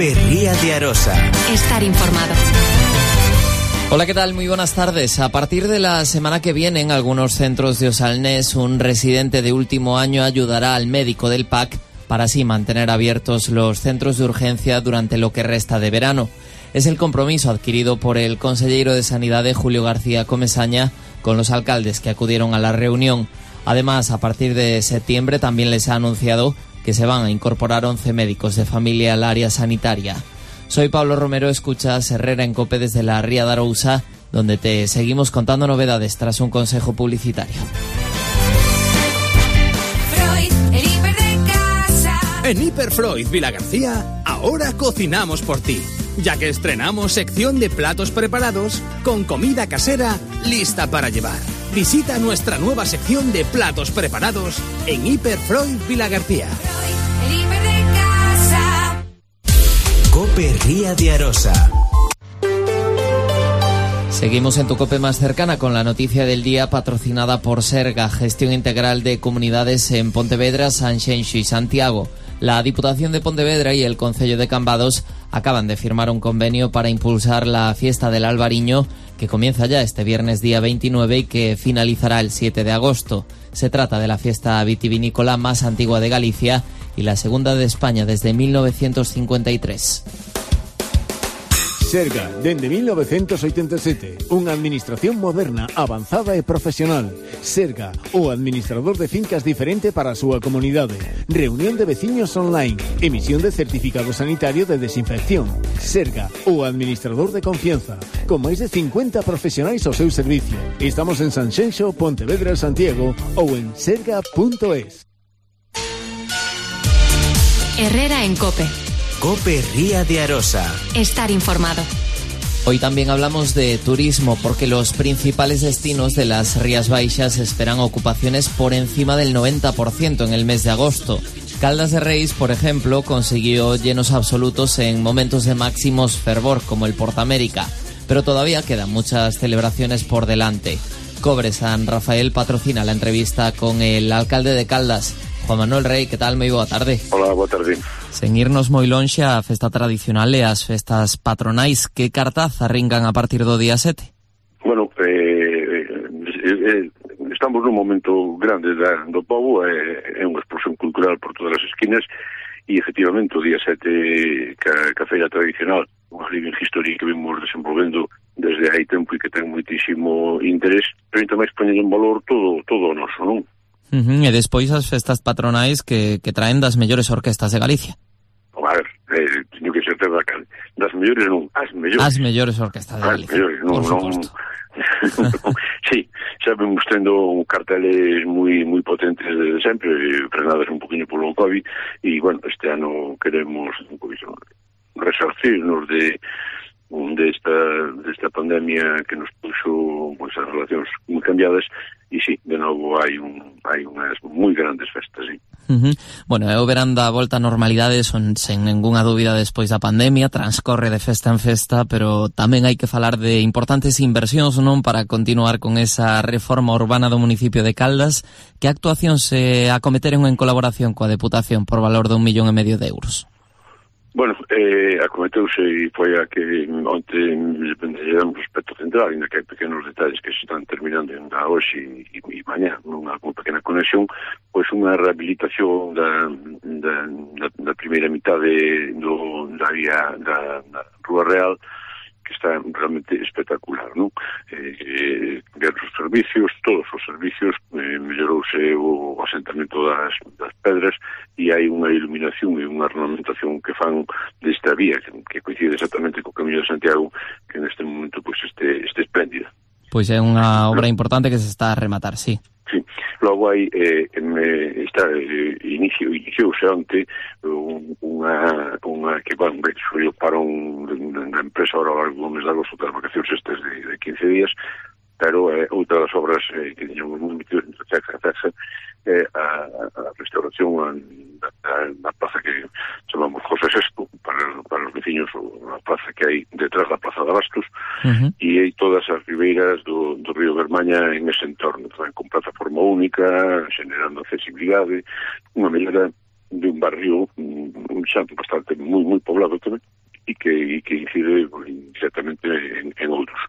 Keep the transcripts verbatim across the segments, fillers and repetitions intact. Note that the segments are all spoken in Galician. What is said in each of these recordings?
COPE Ría de Arosa. Estar informado. Hola, ¿qué tal? Muy buenas tardes. A partir de la semana que viene, en algunos centros de Osalnés, un residente de último año ayudará al médico del P A C para así mantener abiertos los centros de urgencia durante lo que resta de verano. Es el compromiso adquirido por el consellero de Sanidade, Julio García Comesaña, con los alcaldes que acudieron a la reunión. Además, a partir de septiembre también les ha anunciado que se van a incorporar once médicos de familia al área sanitaria. Soy Pablo Romero, escuchas Herrera en COPE desde la Ría de Arousa, donde te seguimos contando novedades tras un consejo publicitario. Freud, el hiper de casa. En Hiperfreud Vilagarcía, ahora cocinamos por ti, ya que estrenamos sección de platos preparados con comida casera lista para llevar. Visita nuestra nueva sección de platos preparados en Hiperfreud Vilagarcía. Freud, el hiper de casa. COPE Ría de Arosa. Seguimos en tu COPE más cercana con la noticia del día, patrocinada por Serga, Gestión Integral de Comunidades en Pontevedra, Sanxenxo y Santiago. La Diputación de Pontevedra y el Concello de Cambados acaban de firmar un convenio para impulsar la fiesta del Albariño, que comienza ya este viernes día veintinueve y que finalizará el siete de agosto. Se trata de la fiesta vitivinícola más antigua de Galicia y la segunda de España desde mil novecientos cincuenta y tres. Serga, dende mil novecientos oitenta e sete, unha administración moderna, avanzada e profesional. Serga, o administrador de fincas diferente para a súa comunidade. Reunión de veciños online, emisión de certificado sanitario de desinfección. Serga, o administrador de confianza, con máis de cincuenta profesionais ao seu servicio. Estamos en Sanxenxo, Pontevedra, Santiago ou en serga punto es. Herrera en COPE. COPE Ría de Arosa. Estar informado. Hoy también hablamos de turismo, porque los principales destinos de las Rías Baixas esperan ocupaciones por encima del noventa por ciento en el mes de agosto. Caldas de Reis, por ejemplo, consiguió llenos absolutos en momentos de máximos fervor, como el Portamérica, pero todavía quedan muchas celebraciones por delante. Cobre San Rafael patrocina la entrevista con el alcalde de Caldas, Juan Manuel Rey. Que tal? Moi boa tarde. Hola, boa tarde. Sen irnos moi lonxe, a festa tradicional e as festas patronais, que cartaz arrincan a partir do día sete? Bueno, eh, eh, estamos nun momento grande da, do povo, é eh, unha explosión cultural por todas as esquinas, e efectivamente o día sete, ca, ca feira tradicional, unha living history que vimos desenvolvendo desde hai tempo e que ten moitísimo interés, pero tamén poñen en valor todo, todo o noso, non? Uh-huh. E despois as festas patronais que, que traen das mellores orquestas de Galicia. A ver, eh, teño que ser da cal. Das mellores non, as mellores. As mellores orquestas de Galicia. As mellores, non, non. Sí, xa vemos tendo carteles moi moi potentes desde sempre, frenadas un poquinho polo COVID, e, bueno, este ano queremos un poquinho resarcirnos de de esta, de esta pandemia que nos puxo pues, as relacións moi cambiadas, e sí, de novo hai un hai unhas moi grandes festas, sí. Uh-huh. Bueno, é o verán da volta á normalidade, son sen ningunha dúbida despois da pandemia, transcorre de festa en festa, pero tamén hai que falar de importantes inversións, non, para continuar con esa reforma urbana do municipio de Caldas. Que actuacións se acometeron en colaboración coa Deputación por valor de un millón e medio de euros? Bueno, eh, acometeuse e foi a que onte lle damos aspecto central, ainda que hai pequenos detalles que se están terminando ainda hoxe e, e mañá, nunha pequena conexión, pois unha rehabilitación da, da, da, da primeira mitade do, da vía da, da Rúa Real, que está realmente espectacular, non? Eh, ver os servicios, todos os servicios, eh, mellorouse o asentamento das, das pedras, e hai unha iluminación e unha ornamentación que fan desta vía, que, que coincide exactamente co Camiño de Santiago, que neste momento pois este, este espléndida. Pois é unha obra importante que se está a rematar, sí. Sí, logo hai eh, eh, está eh, inicio iniciouse onte unha unha que van ver subiu para un na empresa ahora ao largo do mes de agosto das vacacións estes de, de quince días, pero eh, outra das obras eh, que teñamos moi metidos entre Chaxa e Chaxa eh, a, a restauración da, da plaza que chamamos José sexto para, para os veciños, a plaza que hai detrás da Plaza de Abastos, uh-huh. E hai todas as ribeiras do, do río Bermaña en ese entorno, tamén con plataforma única, generando accesibilidade, unha mellora de un barrio xa bastante moi moi poblado tamén, e que, e que incide directamente en, en outros.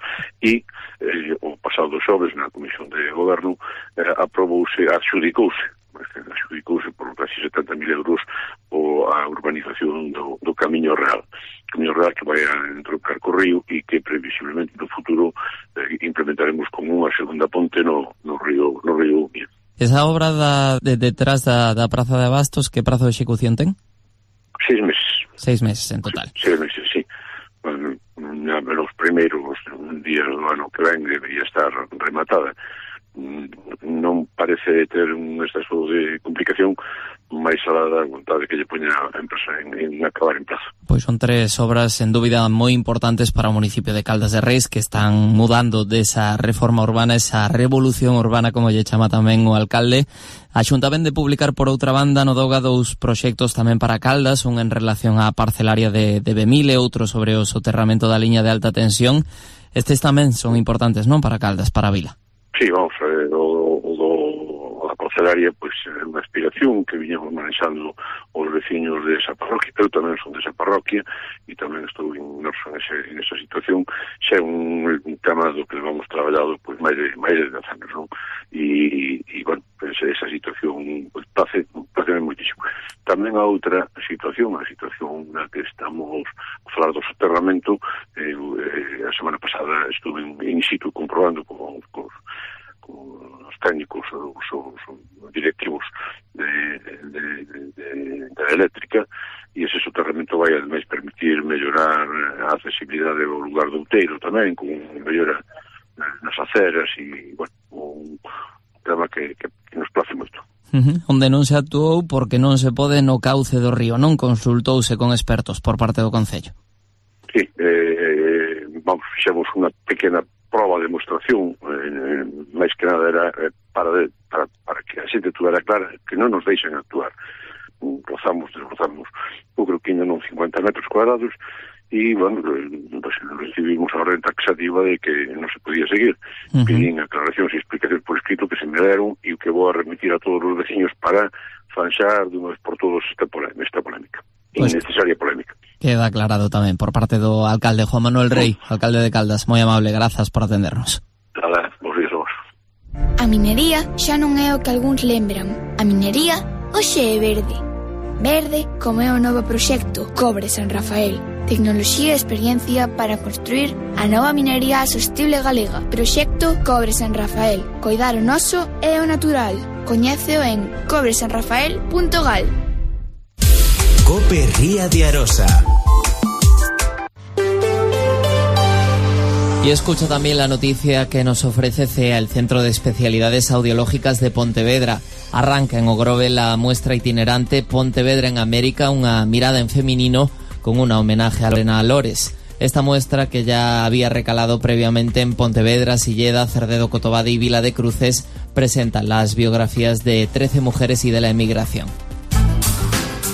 E eh, o pasado xoves na Comisión de Goberno eh, aprobouse, adxudicouse adxudicouse por casi setenta mil euros o a urbanización do, do Camiño Real. Camiño Real que vai a entroncar co río e que previsiblemente no futuro eh, implementaremos como unha segunda ponte no, no río no río Umia. Esa obra da, de detrás da, da Praza de Abastos, que prazo de execución ten? Seis meses. Seis meses en total. Seis meses, sí. Bueno, los primeiros días do ano que ven debería estar rematada. Non parece ter un exceso de complicación, máis alá da vontade que lle poña a empresa en, en acabar en plazo. Pois son tres obras, en dúbida, moi importantes para o municipio de Caldas de Reis, que están mudando desa reforma urbana, esa revolución urbana, como lle chama tamén o alcalde. A Xunta ven de publicar, por outra banda, no Doga dous proxectos tamén para Caldas, un en relación á parcelaria de, de Bemile, outro sobre o soterramento da liña de alta tensión. Estes tamén son importantes, non, para Caldas, para a vila? Sí, vamos, eh, o, o do a parcelaria, pois, é unha aspiración que viñamos manexando os veciños de esa parroquia. Eu tamén son de esa parroquia e tamén estou inmerso nese, nesa situación. Xa é un, un tema do que vamos traballado pois máis de máis de dez anos, non? E, e bueno, pues, esa situación pois place, place moitísimo. Tamén a outra situación, a situación na que estamos a falar do soterramento, eh, eh, a semana pasada estuve in, in situ comprobando con, con os técnicos, os, os, os directivos de, de, de, de, de eléctrica, e ese soterramento vai ademais permitir mellorar a accesibilidade ao lugar do Outeiro tamén, con mellora nas aceras e, bueno, un tema que, que, que nos place moito. Uh-huh. Onde non se actuou porque non se pode no cauce do río, non consultouse con expertos por parte do Concello? Sí, eh, vamos, fixemos unha pequena prova de demostración, eh, máis que nada era eh, para, de, para, para que a xente tuvera clara que non nos deixan actuar. Rozamos, desrozamos, eu creo que ainda non cincuenta metros cuadrados, e, bueno, pues, recibimos a orden taxativa de que non se podía seguir. Uh-huh. Pedín aclaracións e explicacións por escrito que se me deron e que vou a remitir a todos os veciños para fanxar de unha vez por todos esta polémica, esta polémica. Pues, innecesaria polémica. Queda aclarado tamén por parte do alcalde Juan Manuel Rey, alcalde de Caldas. Moi amable, grazas por atendernos. Nada, vos días a vos. A minería xa non é o que algúns lembran. A minería hoxe é verde. Verde como é o novo proxecto Cobre San Rafael. Tecnoloxía e experiencia para construir a nova minería sostible galega. Proxecto Cobre San Rafael. Coidar o noso é o natural. Coñéceo en cobre san rafael punto gal. Cope Ría de Arosa. Y escucha también la noticia que nos ofrece C E A, el Centro de Especialidades Audiológicas de Pontevedra. Arranca en Ogrove la muestra itinerante Pontevedra en América, una mirada en femenino con un homenaje a Lorena Lores. Esta muestra, que ya había recalado previamente en Pontevedra, Silleda, Cerdedo, Cotobade y Vila de Cruces, presenta las biografías de trece mujeres y de la emigración.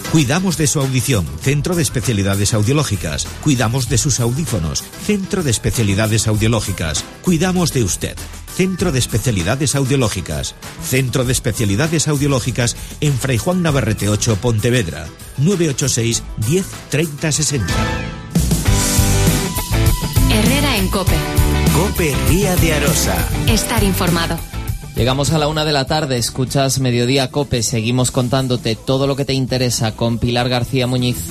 Cuidamos de su audición, Centro de Especialidades Audiológicas. Cuidamos de sus audífonos, Centro de Especialidades Audiológicas. Cuidamos de usted, Centro de Especialidades Audiológicas. Centro de Especialidades Audiológicas en Fray Juan Navarrete ocho, Pontevedra. nueve ocho seis, diez, treinta, sesenta. Herrera en COPE. Cope Ría de Arosa. Estar informado. Llegamos a la una de la tarde, escuchas Mediodía COPE, seguimos contándote todo lo que te interesa con Pilar García Muñiz.